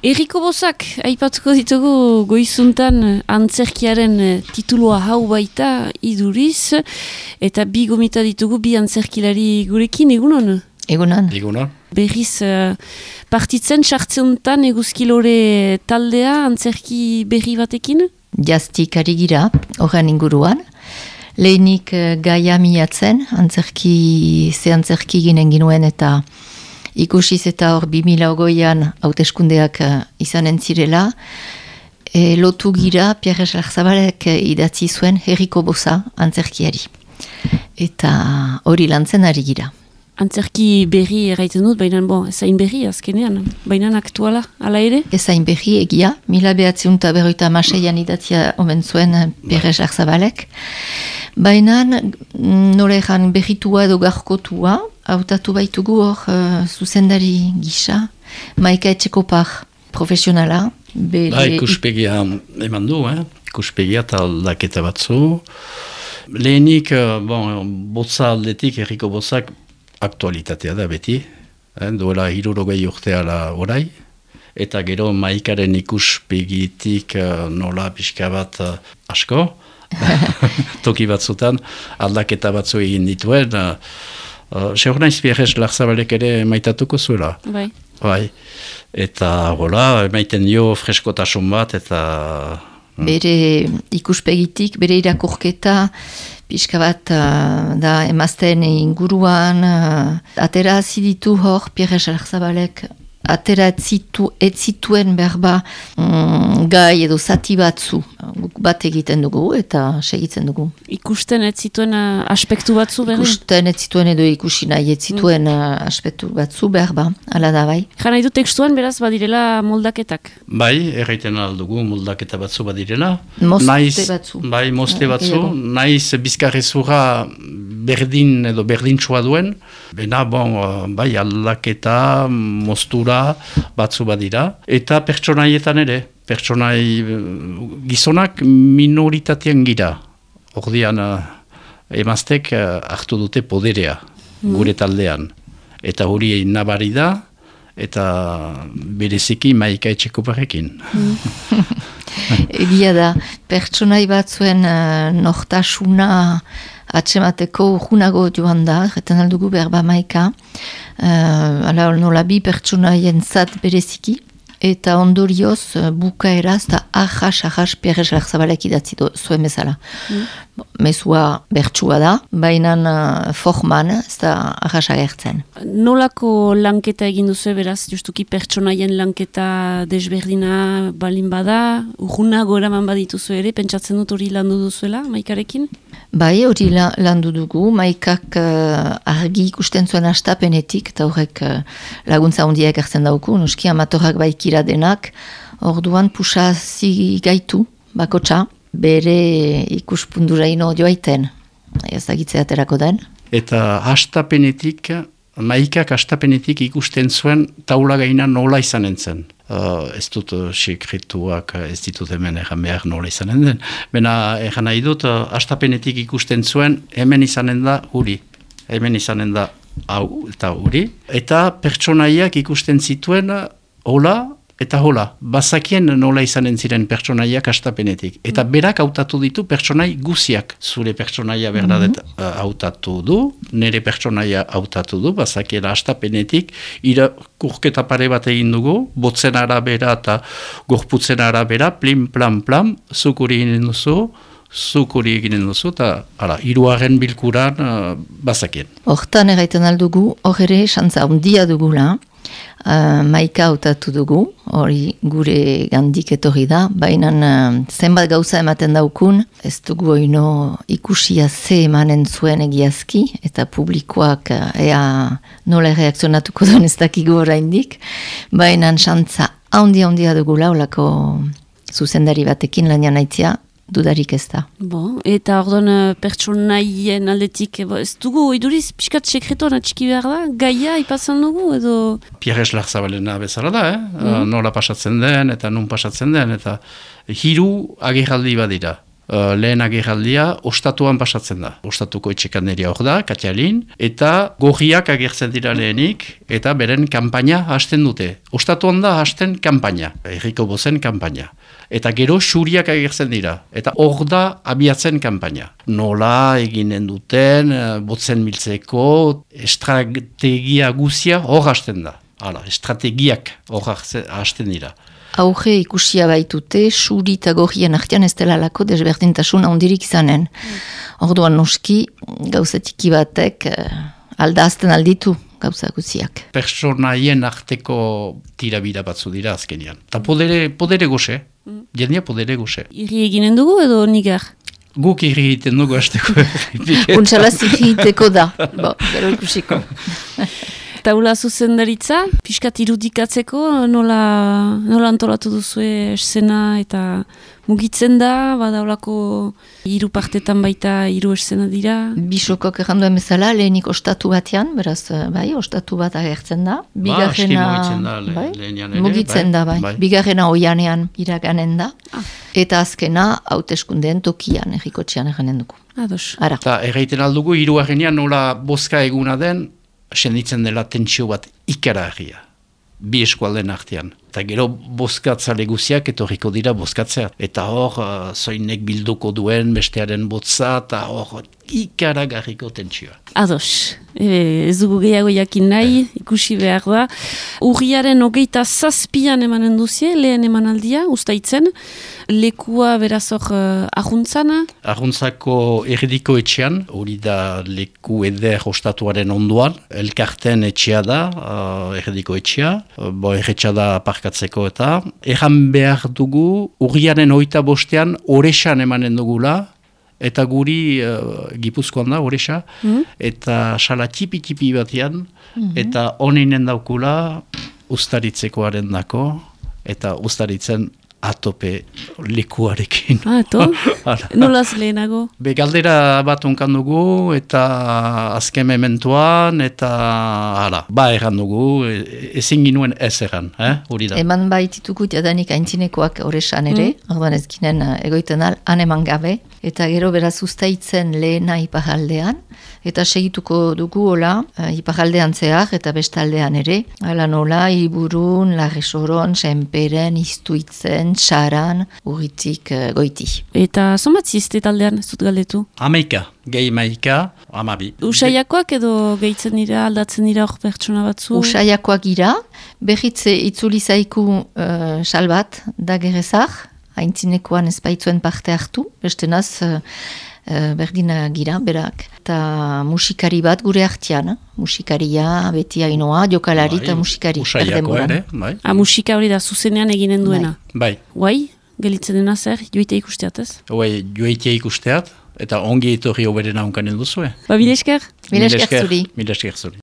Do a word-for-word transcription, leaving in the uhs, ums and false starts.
Erriko Bozak, aipatuko ditugu goizuntan antzerkiaren titulua hau baita iduriz, eta bi gomita ditugu bi antzerkilari gurekin, egunon? Egunon. Egunon. Berriz uh, partitzen sartzeuntan eguzkilore taldea antzerki berri batekin? Jaztik ari gira, horren inguruan. Lehenik uh, gaia miatzen, antzerki, ze antzerki ginen ginuen eta ikusiz eta hor bi mila ogoian hauteskundeak uh, izanen zirela, e, lotu gira Pierre Larzabalek uh, idatzi zuen Erriko Boza antzerkiari. Eta hori lantzen ari gira. Antzerki berri erraiten dut, baina bon, ezain berri azkenean, baina aktuala, ala ere? Ezain berri egia, mila behatziun eta berroita amaseian idatzia omen zuen Pierre Larzabalek. Baina nola egan berritua edo garkotua, hautatu baitugu hor uh, zuzendari gisa, Maika Etxekopar profesionala. Bere... Ba, ikuspegia eman du, eh? Ikuspegia eta aldaketa batzu. Lehenik, bon, botza aldetik, Erriko Bozak, aktualitatea da beti, eh? Duela hirurogei urteala orai, eta gero Maikaren ikuspegitik uh, nola pixka bat uh, asko, toki batzutan aldaketa batzu egin dituen, uh, uh, segur naiz Pierre Larzabalek ere maitatuko zuela. Bai. Bai. Eta hola, maiten dio freskotasun bat, eta... Bere ikuspegitik, bere irakurketa, pixka bat uh, da emazten inguruan, uh, atera ziditu hor Pierre Larzabalek, atera etzitu, etzituen berba mm, gai edo zati batzu guk bat egiten dugu eta segitzen dugu. Ikusten ez zituen uh, aspektu batzu berba? Ikusten ez zituen edo ikusi nahi ez zituen mm. uh, aspektu batzu berba, ala da bai. Jana nahi du tekstuan beraz badirela moldaketak? Bai, erraiten aldugu moldaketa batzu badirela. Moste naiz, batzu. Bai, moste Ah, batzu. ego. Naiz bizkarrezura berdin edo berdintsua duen. Bena, bon, bai, aldaketa, mostura batzu badira. Eta pertsonaietan ere. Pertsonai gizonak minoritatean gira. Ordian emaztek hartu dute poderea mm. gure taldean. Eta hori nabari da, eta bereziki Maika Etxekoparekin. Mm. Egia da, pertsonai batzuen uh, nortasuna atsemateko urgunago joan da, jeten aldugu berba Maika, uh, ala nola bi pertsonaien zat bereziki, eta ondorioz uh, bukaeraz eta ahas, ahas Pierre Larzabalek idatzi zuen bezala. Mm. Mezua bertsua da, baina uh, forman ez da ahas agertzen. Nolako lanketa egin duzu beraz, justuki pertsonaien lanketa desberdina balin bada, urgunago eraman badituzu ere, pentsatzen dut hori landu duzuela, Maikarekin? Bai, hori la, landu dugu, Maikak uh, argi ikusten zuen astapenetik, eta horrek uh, laguntza hondiak hartzen dauku, noski amatorrak baikira denak, orduan pusazi gaitu, bakotxa, bere ikuspunduraino joaiten, ez dagitzea aterako den. Eta hastapenetik, Maikak hastapenetik ikusten zuen taula gaina nola izanen zen. Uh, ez dut uh, sekretuak uh, ez ditut hemen egan behar nola izanen den. Bena egan nahi dut, uh, hastapenetik ikusten zuen hemen izanen da huri. Hemen izanen da hau eta huri. Eta pertsonaiak ikusten zituen uh, hola eta hola. Bazakien nola izanen ziren pertsonaiak hastapenetik. Eta berak hautatu ditu pertsonai guziak. Zure pertsonaia berdadet uh, hautatu du, nire pertsonaia hautatu du, bazakiela hastapenetik, irakurketa pare bat egin dugu, botzen arabera eta gorputzen arabera, plim, plam, plam, zukuri eginen duzu, zukuri eginen duzu, eta hiruaren bilkuran uh, bazakien. Hortan erraiten aldugu, hor ere, xantza handia dugula, Uh, Maika hautatu dugu, hori gure gandik etorri da, baina uh, zenbat gauza ematen daukun, ez dugu oino ikusia ze emanen zuen egiazki, eta publikoak uh, ea nola reakzionatuko duen ez dakigu oraindik, baina xantza handia-handia dugula, olako zuzendari batekin lanian aitzia, dudarik ez da. Bon, eta orduan pertsonaien aldetik, bo, ez dugu, iduriz, pixkat sekretoan atxiki behar da, gaia ipatzen dugu, edo... Pierre Larzabalena bezala da, eh? Mm. Nola pasatzen den, eta nun pasatzen den, eta hiru agerraldi badira. uh, lehen agerraldia ostatuan pasatzen da. Ostatuko etxekaneria hor da, Katialin, eta gorriak agertzen dira lehenik, eta beren kanpaina hasten dute. Ostatuan da hasten kanpaina, herriko bozen kanpaina. Eta gero xuriak agertzen dira, eta hor da abiatzen kanpaina. Nola eginen duten, botzen miltzeko, estrategia guzia hor hasten da. Hala, estrategiak hor hasten dira. Auge ikusia baitute, xuri eta gorrien artean ez dela lako desberdintasun handirik izanen. Orduan noski, gauzatiki batek aldazten alditu gauza guziak. Personaien arteko tirabira batzu dira azkenian. Eta podere, podere goxe, jendia podere goxe. Irri eginen dugu edo nigar? Guk irri egiten dugu hasteko. Untxalaz irri egiteko da, bo, gero ikusiko. Taula zuzendaritza, pixkat irudikatzeko nola, nola antolatu duzue esena eta mugitzen da, badaulako hiru partetan baita hiru esena dira. Bisokok erranduen bezala, lehenik ostatu batean, beraz, bai, ostatu bat agertzen da. Bigarrena, ba, mugitzen da, le, bai, lehenian ere. Mugitzen da, bai. bai. Bigarrena oianean iraganen da. Ah. Eta azkena, hauteskundeen tokian, errikotxean erranen dugu. Ados. Ara. Eta erraiten aldugu, hiru agenean nola bozka eguna den, senditzen dela tentsio bat ikaragarria, bi eskualden artean. Eta gero bozkatzale guziak etorriko dira bozkatzea. Eta hor, uh, zoinek bilduko duen bestearen botza, eta hor ikaragarriko tentsioa. Ados. E, ez dugu gehiago jakin nahi, ikusi behar da. Urriaren hogeita zazpian emanen duzie, lehen emanaldia, ustaitzen. Lekua beraz hor uh, ahuntzana. Arruntzako erridiko etxean, hori da leku eder ostatuaren onduan. Elkarten etxea da, uh, erridiko etxea. Uh, bo erretxa da parkatzeko eta. Erran behar dugu, urriaren hogeita bostean, oresan emanen dugula. Eta guri uh, Gipuzkoan da, Oresa, mm. eta sala tipi-tipi batean, mm-hmm. eta honinen daukula ustaritzekoaren dako, eta ustaritzen atope lekuarekin. Ah, eto? Nolaz lehenago? Be galdera bat onkan dugu, eta azken mementuan, eta hala, ba erran dugu, ezin ginuen ez erran, eh? Hori da. Eman baitituko jadanik aintzinekoak Oresan ere, mm. orduan ez ginen egoiten al, han eman gabe, eta gero beraz ustaitzen lehena iparaldean, eta segituko dugu hola, iparaldean zehar, eta bestaldean ere, hala nola, Iburun, Larresoron, Senperen, Iztuitzen, Saran, urritik uh, goiti. Eta zonbat zizte taldean, ez dut galdetu? Amaika, gehi maika, amabi. Usaiakoak edo gehitzen dira, aldatzen dira hor pertsona batzu? Usaiakoak gira, behitze itzuli zaiku uh, salbat da gerezak, haintzinekoan ez baitzuen parte hartu, bestenaz uh, uh, berdina gira, berak. Eta musikari bat gure artean, musikaria, beti hainoa, jokalari eta bai, musikari. Usaiako ere, bai. A musika hori da zuzenean eginen duena? Bai. Guai, gelitzen dena zer, joite ikusteat ez? Bai, joite ikusteat, eta ongi etorri oberena onkanen duzue. Ba, mil esker? Mil esker zuri. Mil esker zuri.